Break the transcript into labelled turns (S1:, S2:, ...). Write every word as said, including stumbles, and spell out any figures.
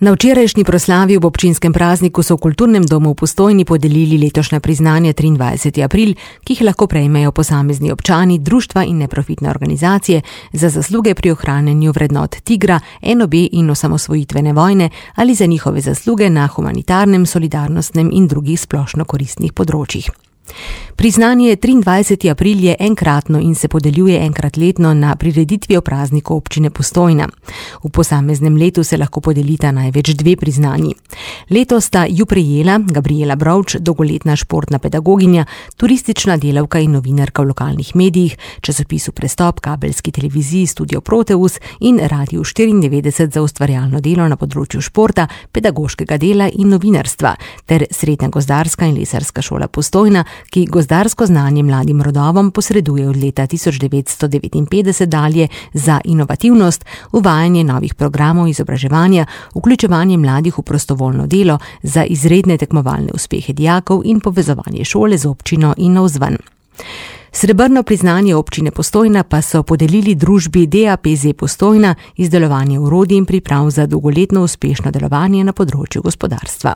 S1: Na včerajšnji proslavi ob občinskem prazniku so v Kulturnem domu v Postojni podelili letošnja priznanja triindvajseti april, ki jih lahko prejmejo posamezni občani, društva in neprofitne organizacije za zasluge pri ohranjanju vrednot Tigra, en obe in osamosvojitvene vojne ali za njihove zasluge na humanitarnem, solidarnostnem in drugih splošno koristnih področjih. Priznanje triindvajseti april je enkratno in se podeljuje enkrat letno na prireditvi ob prazniku občine Postojna. V posameznem letu se lahko podelita največ dve priznanji. Letos sta ju prejela Gabriela Brovč, dolgoletna športna pedagoginja, turistična delavka in novinarka v lokalnih medijih, časopisu Prestop, kabelski televiziji Studio Proteus in Radiu štiriindevetdeset za ustvarjalno delo na področju športa, pedagoškega dela in novinarstva, ter Srednja gozdarska in lesarska šola Postojna, ki gozdarsko znanje mladim rodovom posreduje od leta tisoč devetsto devetinpetdeset dalje za inovativnost, uvajanje novih programov izobraževanja, vključevanje mladih v prostovoljno delo, za izredne tekmovalne uspehe dijakov in povezovanje šole z občino in navzven. Srebrno priznanje občine Postojna pa so podelili družbi D A P Z Postojna, izdelovanje orodij in priprav za dolgoletno uspešno delovanje na področju gospodarstva.